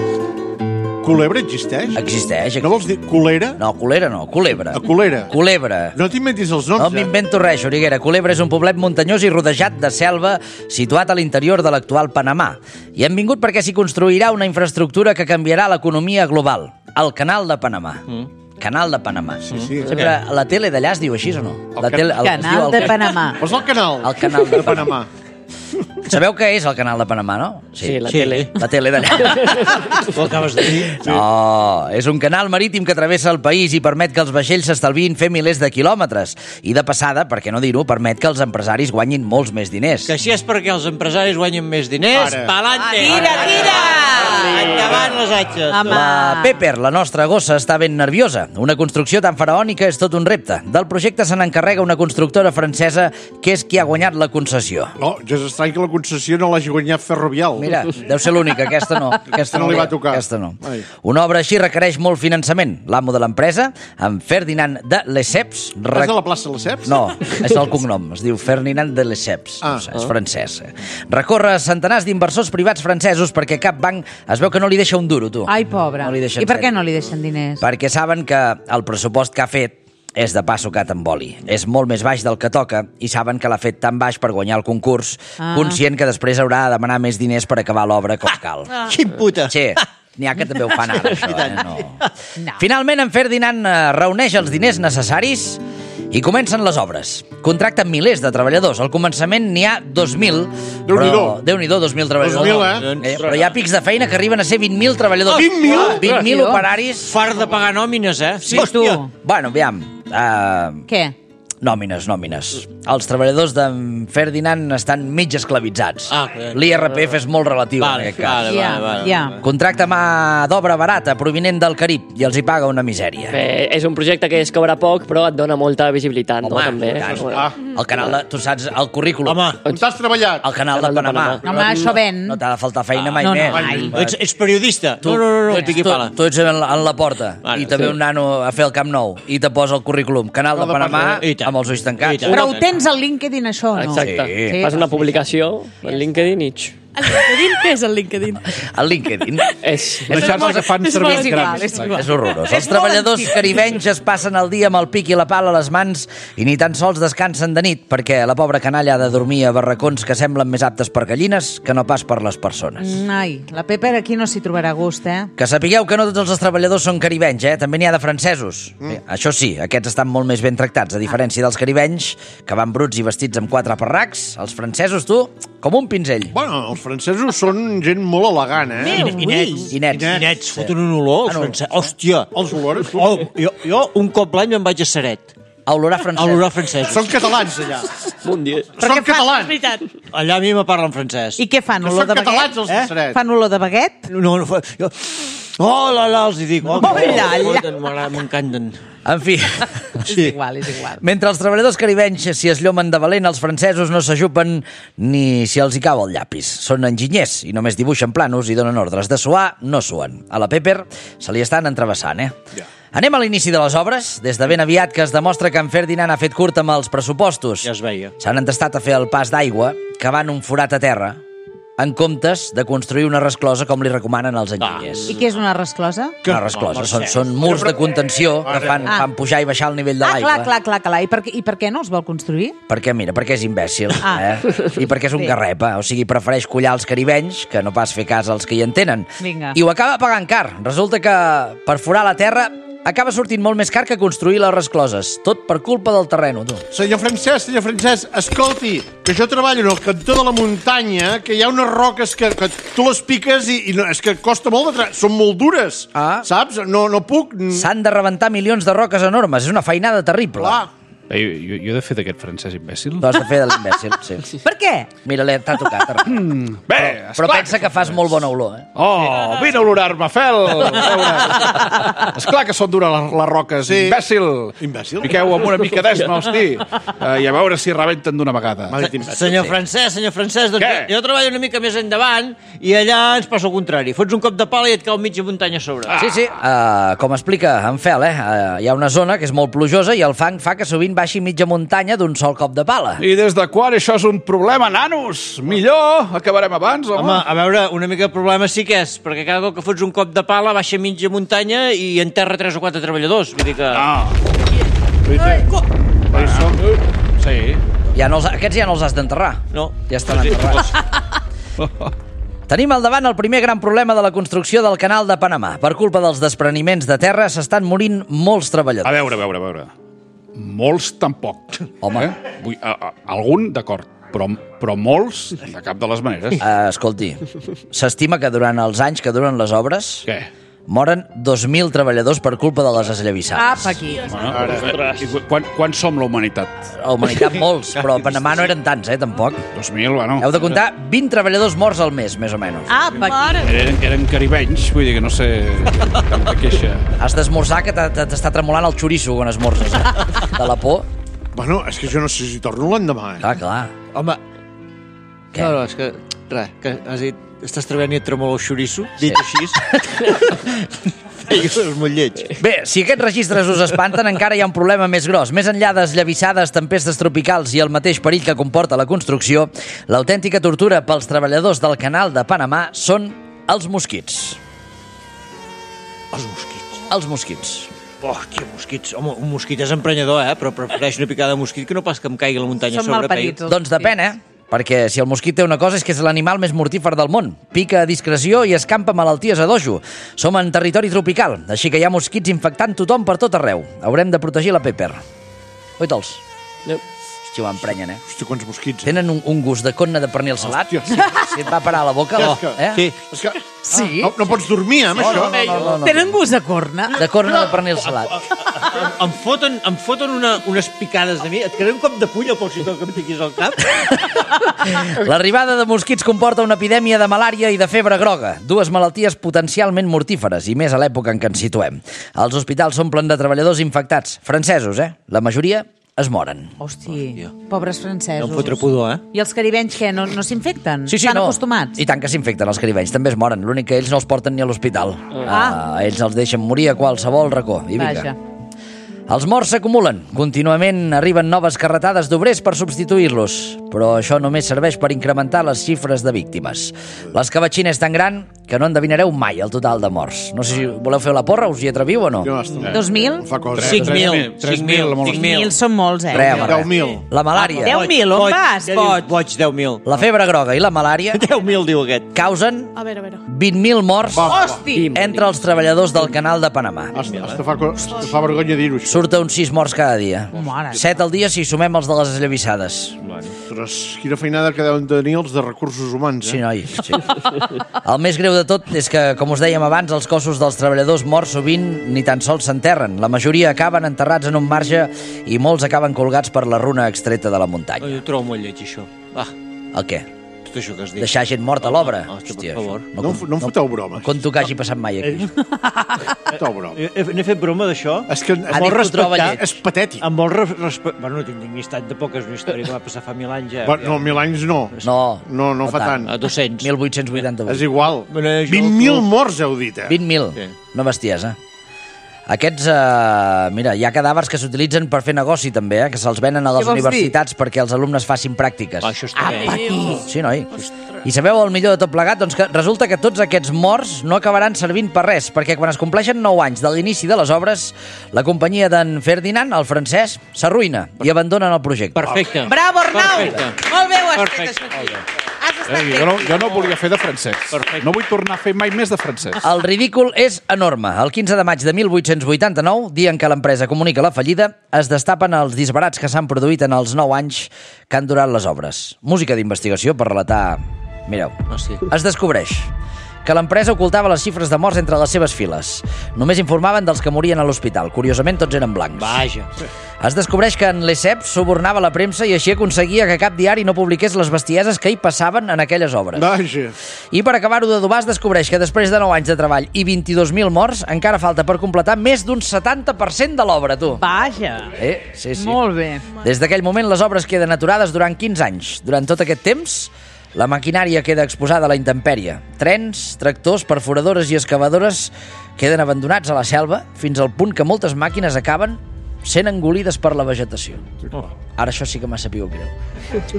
Culebra existeix? Existeix. No vols dir culera? No, Culera no, Culebra. A Culera? Culebra. No t'inventis els noms, No m'invento res, Xuriguera. Culebra és un poblet muntanyós i rodejat de selva situat a l'interior de l'actual Panamà. I hem vingut perquè s'hi construirà una infraestructura que canviarà l'economia global, el Canal de Panamà. Canal de Panamà. Sí. Sempre la tele d'allà es diu així o no? Canal de Panamà. Posa el canal. El canal de Panamà. Sabeu què és el Canal de Panamà, no? Sí, la tele. La tele d'allà. Ho acabes de dir. No, és un canal marítim que travessa el país i permet que els vaixells s'estalviïn fer milers de quilòmetres. I de passada, per què no dir-ho, permet que els empresaris guanyin molts més diners. Que així és perquè els empresaris guanyen més diners. Pa'lante! Tira! Endavant les atxes. La Pepper, la nostra gossa, està ben nerviosa. Una construcció tan faraònica és tot un repte. Del projecte se n'encarrega una constructora francesa que és qui ha guanyat la concessió. No, ja és estrany que la concessió no l'hagi guanyat Ferrovial. Mira, deu ser l'única, aquesta no. Aquesta no li va tocar. Aquesta no. Una obra així requereix molt finançament. L'amo de l'empresa, en Ferdinand de Lesseps... És de la plaça Lesseps? No, és el cognom. Es diu Ferdinand de Lesseps. És francès. Recorre centenars d'inversors privats francesos perquè cap banc es veu que no li deixa un duro, tu. Ai, pobre. No li deixen I per què no li deixen diners? Perquè saben que el pressupost que ha fet és de pa sucat amb oli. És molt més baix del que toca i saben que l'ha fet tan baix per guanyar el concurs, conscient que després haurà de demanar més diners per acabar l'obra com cal. Quin puta! Sí, n'hi ha que també ho fan ara, això. No. Finalment, en Ferdinand reuneix els diners necessaris i comencen les obres. Contracten milers de treballadors. Al començament n'hi ha 2.000. Déu-n'hi-do, 2.000 treballadors. 2.000, Però hi ha pics de feina que arriben a ser 20.000 treballadors. 20.000? 20.000 operaris. Fart de pagar nòmines, Sí, tu. Bueno, aviam. Què? Nòmines. Els treballadors d'en Ferdinand estan mig esclavitzats. L'IRPF és molt relatiu en aquest cas. Ja. Contracta mà d'obra barata provinent del Carib i els hi paga una misèria. És un projecte que es cobra poc, però et dona molta visibilitat, no? També. El canal de... Tu saps el currículum. On t'has treballat? El canal de Panamà. Home, això ven. No t'ha de faltar feina mai més. Ets periodista? Tu ets en la porta i també un nano a fer el Camp Nou i te posa el currículum. Canal de Panamà amb els ulls tancats. Però ho tens al LinkedIn, això, no? Exacte. Fas una publicació al LinkedIn i... El LinkedIn? Què és el LinkedIn? El LinkedIn és una xarxa que fan servir els grans. És horrorós. Els treballadors caribenys es passen el dia amb el pic i la pala a les mans i ni tan sols descansen de nit perquè la pobra canalla ha de dormir a barracons que semblen més aptes per gallines que no pas per les persones. Ai, la Pepper aquí no s'hi trobarà gust, Que sapigueu que no tots els treballadors són caribenys, També n'hi ha de francesos. Això sí, aquests estan molt més ben tractats, a diferència dels caribenys, que van bruts i vestits amb 4 parracs. Els francesos, tu, com un pinzell. Bueno, els francesos són gent molt elegant, I nets. Foten un olor, els francesos. Hòstia! Els olors? Jo un cop l'any me'n vaig a Ceret. A olorar francès. Són catalans, allà. Són catalans. Allà a mi me parlen francès. I què fan, olor de baguet? Són catalans, els de Ceret. Fan olor de baguet? No, jo... Oh, els hi dic. M'encanten. En fi... És igual. Mentre els treballadors caribenys s'hi esllomen de valent, els francesos no s'ajupen ni si els hi cau el llapis. Són enginyers i només dibuixen planos i donen ordres. De suar, no suen. A la Pepper se li estan entrevessant, Anem a l'inici de les obres. Des de ben aviat que es demostra que en Ferdinand ha fet curt amb els pressupostos. Ja es veia. S'han entestat a fer el pas d'aigua, cavant un forat a terra, en comptes de construir una resclosa com li recomanen els enginyers. I què és una resclosa? Una resclosa. Són murs de contenció que fan pujar i baixar el nivell de l'aigua. Clar. I per què no els vol construir? Perquè és imbècil. I perquè és un garrepa. O sigui, prefereix collar els caribenys que no pas fer cas als que hi entenen. Vinga. I ho acaba pagant car. Resulta que per forar la terra acaba sortint molt més car que construir les rescloses. Tot per culpa del terreno, tu. Senyor Francesc, escolti, que jo treballo en el cantó de la muntanya, que hi ha unes roques que tu les piques i no, és que costa molt de són molt dures, saps? No puc... S'han de rebentar milions de roques enormes. És una feinada terrible. Clar. Jo he de fer d'aquest francès imbècil? Tu has de fer de l'imbècil, sí. Per què? Mira, t'ha tocat. Bé, però pensa que fas molt bona olor, Oh, vine a olorar-me, Fel! Esclar que són dures les roques, imbècil. Piqueu amb una mica d'esma, hosti, i a veure si rebenten d'una vegada. Senyor Francesc, doncs jo treballo una mica més endavant i allà ens passa el contrari. Fots un cop de pala i et cau mitja muntanya a sobre. Sí. Com explica en Fel, hi ha una zona que és molt plujosa i el fang fa que sovint baixi mitja muntanya d'un sol cop de pala. I des de quan això és un problema, nanos? Millor, acabarem abans, home. Home, a veure, una mica de problema sí que és, perquè cada cop que fots un cop de pala baixa mitja muntanya i enterra 3 o 4 treballadors. Vull dir que... Sí. Aquests ja no els has d'enterrar. No. Ja estan enterrats. Tenim al davant el primer gran problema de la construcció del canal de Panamà. Per culpa dels despreniments de terra s'estan morint molts treballadors. A veure. Molts tampoc. Home. Algun, d'acord, però molts, de cap de les maneres. Escolti, s'estima que durant els anys que duren les obres... Què? Moren 2.000 treballadors per culpa de les esllavissades. Apa, aquí. Quan som la humanitat? La humanitat molts, però a Panamà no eren tants, tampoc. 2.000, bueno. Heu de comptar 20 treballadors morts al mes, més o menys. Apa, aquí. Eren caribenys, vull dir que no sé cap de queixa. Has d'esmorzar, que t'està tremolant el xoriço quan esmorzes, de la por. Bueno, és que jo no sé si torno l'endemà. Clar. Home, què? No, és que... Res, que has dit... Estàs treballant i et tremola el xoriço? Dit així. És molt lleig. Bé, si aquests registres us espanten, encara hi ha un problema més gros. Més enllà d'esllavissades, tempestes tropicals i el mateix perill que comporta la construcció, l'autèntica tortura pels treballadors del canal de Panamà són els mosquits. Els mosquits. Oh, que mosquits. Home, un mosquit és emprenyador, però prefereix una picada de mosquit que no pas que em caigui la muntanya Són a sobre. malparits. Doncs depèn, perquè si el mosquit té una cosa és que és l'animal més mortífer del món. Pica a discreció i escampa malalties a dojo. Som en territori tropical, així que hi ha mosquits infectant tothom per tot arreu. Haurem de protegir la Pepper. Oita'ls? No. Hòstia, ho emprenyen, Hòstia, quants mosquits. Tenen un gust de conna de pernil salat. Hòstia. Si et va parar a la boca... Sí. És que... Sí? No pots dormir, amb això. No. Tenen gust de corna? De corna de pernil salat. Em foten unes picades de mi. Et quedaré un cop de puny al poc que em piquis al cap. L'arribada de mosquits comporta una epidèmia de malària i de febre groga, dues malalties potencialment mortíferes, i més a l'època en què ens situem. Els hospitals s'omplen de treballadors infectats, francesos, La majoria es moren. Hosti, pobres francesos. No em fotre pudor, I els caribenys, què? No s'infecten? Sí, Estan acostumats? I tant que s'infecten els caribenys, també es moren. L'únic que ells no els porten ni a l'hospital. Ells els deixen morir a qualsevol racó. I vinga. Vaja. Els morts s'acumulen. Contínuament arriben noves carretades d'obrers per substituir-los. Però això només serveix per incrementar les xifres de víctimes. L'escabatxina és tan gran que no endevinareu mai el total de morts. No sé si voleu fer la porra, us hi atreviu o no? 2.000? 5.000. 5.000 són molts, 10.000. La malària. 10.000, on vas, boig? Boig, 10.000. La febre groga i la malària 10.000, diu aquest. causen A veure. 20.000 morts Hosti! entre els treballadors del canal de Panamà. Hasta fa vergonya dir-ho, això. Surta uns 6 morts cada dia. Mare. 7 al dia si sumem els de les esllavissades. Ostres, quina feinada que deuen tenir els de recursos humans, Sí, noi. Sí. El més greu de tot és que, com us dèiem abans, els cossos dels treballadors morts sovint ni tan sols s'enterren. La majoria acaben enterrats en un marge i molts acaben colgats per la runa extreta de la muntanya. Jo ho trobo molt lleig, això. Va, El què? tot això que has dit. Deixar gent morta a l'obra? Hòstia, per favor. No em foteu bromes. Conto que hagi passat mai aquí. Foteu bromes. N'he fet broma d'això? És que Ha dit que ho troba lleig. és patètic. Em vol respectar... Bueno, no tinc dignitat de poc, és una història que va passar fa 1.000 anys ja. No, 1.000 anys no. No fa tant. A 200. 1888. És igual. Bueno, 20.000 morts, heu dit, 20.000. Sí. No bestiesa. Aquests, mira, hi ha cadàvers que s'utilitzen per fer negoci també, que se'ls venen a les Què vols universitats perquè els alumnes facin pràctiques. Això està bé. Sí, noi? I sabeu el millor de tot plegat? Doncs que resulta que tots aquests morts no acabaran servint per res, perquè quan es compleixen 9 anys de l'inici de les obres, la companyia d'en Ferdinand, el francès, s'arruïna i abandonen el projecte. Perfecte. Bravo, Arnau! Perfecte. Molt bé ho has fet, Perfecte. això aquí. Has estat bé. Jo no volia fer de francès. No vull tornar a fer mai més de francès. El ridícul és enorme. El 15 de maig de 1889, dia en què l'empresa comunica la fallida, es destapen els disbarats que s'han produït en els 9 anys que han durat les obres. Música d'investigació per relatar... Mireu, es descobreix que l'empresa ocultava les xifres de morts entre les seves files. Només informaven dels que morien a l'hospital. Curiosament, tots eren blancs. Vaja. Es descobreix que en Lesseps subornava la premsa i així aconseguia que cap diari no publiqués les bestieses que hi passaven en aquelles obres. Vaja. I per acabar-ho d'adobar es descobreix que després de 9 anys de treball i 22.000 morts, encara falta per completar més d'un 70% de l'obra, tu. Vaja. Sí. Molt bé. Des d'aquell moment les obres queden aturades durant 15 anys. Durant tot aquest temps, la maquinària queda exposada a la intempèrie. Trens, tractors, perforadores i excavadores queden abandonats a la selva fins al punt que moltes màquines acaben sent engolides per la vegetació. Ara això sí que m'ha sabut greu.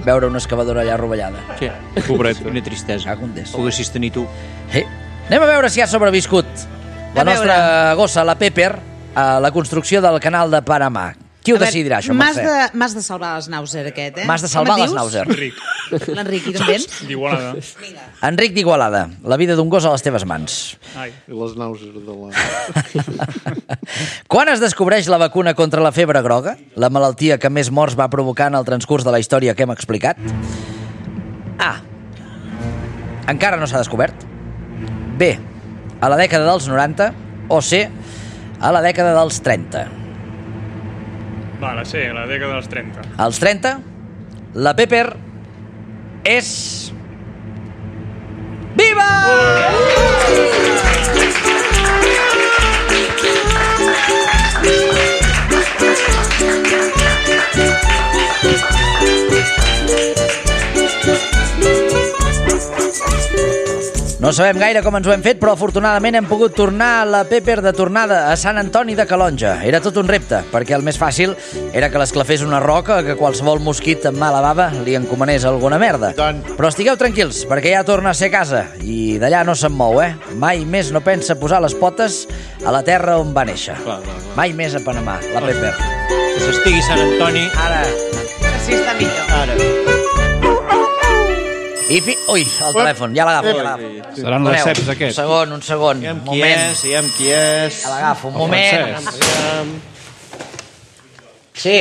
Veure una excavadora allà rovellada. Sí, pobret. Quina tristesa. Poguessis tenir tu. Anem a veure si ha sobreviscut la nostra gossa, la Pepper, a la construcció del canal de Panamà. Qui ho decidirà, això, Mercè? M'has de salvar les Nauser, aquest, M'has de salvar les Nauser. L'Enric, i també? D'Igualada. Enric d'Igualada, la vida d'un gos a les teves mans. Ai, les Nauser de la... Quan es descobreix la vacuna contra la febre groga, la malaltia que més morts va provocar en el transcurs de la història que hem explicat? A. Encara no s'ha descobert. B. A la dècada dels 90. O C. A la dècada dels 30. Va, la C, la dècada dels 30. Als 30, la Pepper és... Viva! No sabem gaire com ens ho hem fet, però afortunadament hem pogut tornar la Pepper de tornada a Sant Antoni de Calonge. Era tot un repte, perquè el més fàcil era que l'esclafés una roca que qualsevol mosquit amb mala bava li encomanés alguna merda. Però estigueu tranquils, perquè ja torna a ser casa, i d'allà no se'n mou, Mai més no pensa posar les potes a la terra on va néixer. Mai més a Panamà, la Pepper. Que s'estigui Sant Antoni. Ara. Així està millor. Ara. Ui, el telèfon, ja l'agafo. Seran les ceps, aquests. Un segon. Digue'm qui és. Ja l'agafo, un moment. Sí.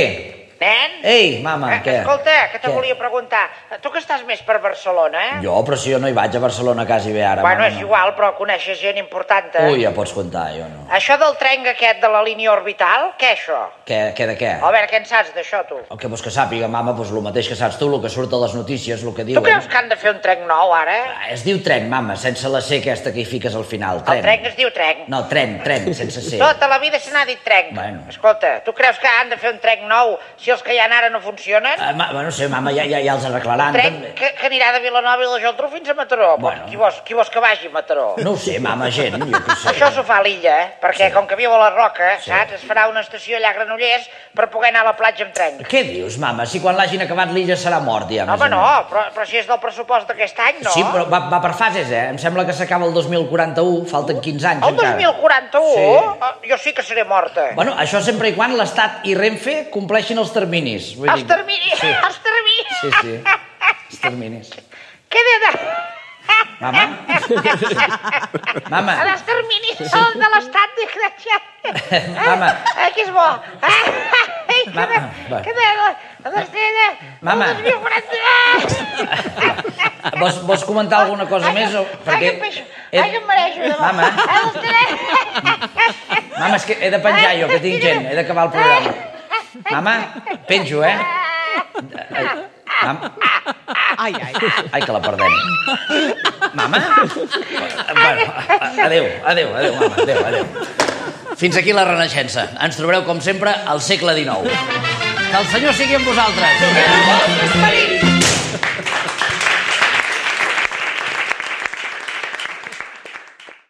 Nen? Ei, mama, què? Escolta, que te volia preguntar. Tu que estàs més per Barcelona, Jo, però si jo no hi vaig a Barcelona quasi bé ara. Bueno, és igual, però coneixes gent important, Ui, ja pots comptar, jo no. Això del tren aquest de la línia orbital, què és això? Què de què? A veure, què en saps d'això, tu? El que vols que sàpiga, mama, doncs el mateix que saps tu, el que surt a les notícies, el que diuen. Tu creus que han de fer un tren nou, ara? Es diu tren, mama, sense la C aquesta que hi fiques al final. El tren es diu tren. No, tren, sense C. Tota la vida se n'ha dit tren. Bueno. Escolta, tu creus que han de fer un tren nou si els que hi ha ara no funcionen? No sé, mama, ja els arreglaran. Un tren que anirà de Vilanova i la Geltrú fins a Mataró. Bueno. Qui vols que vagi a Mataró? No ho sé, mama, gent, jo què sé. Això s'ho fa a l'illa, perquè com que viu a la Roca, saps, es farà una estació allà a Granollers per poder anar a la platja amb tren. Què dius, mama? Si quan l'hagin acabat l'illa serà mort, ja. Home, no, però si és del pressupost d'aquest any, no? Sí, però va per fases, Em sembla que s'acaba el 2041, falten 15 anys encara. El 2041? Sí. Jo sí que seré morta. Bueno, això sempre i quan l'Estat i Renfe compleixin els terminis. Els terminis? Sí. Els terminis? Sí. Els terminis. Què he de... Mama? Mama? Els terminis són de l'estat, desgraciat. Mama? Que és bo. Mama? Que de... Mama? Vols comentar alguna cosa més? Ai, que peixo. Ai, que em mereixo. Mama? Mama, és que he de penjar jo, que tinc gent. He d'acabar el programa. Mama? Penjo, Ai, que la perdem. Mama? Bueno, adéu, mama, adéu. Fins aquí la Renaixença. Ens trobareu, com sempre, al segle XIX. Que el Senyor sigui amb vosaltres.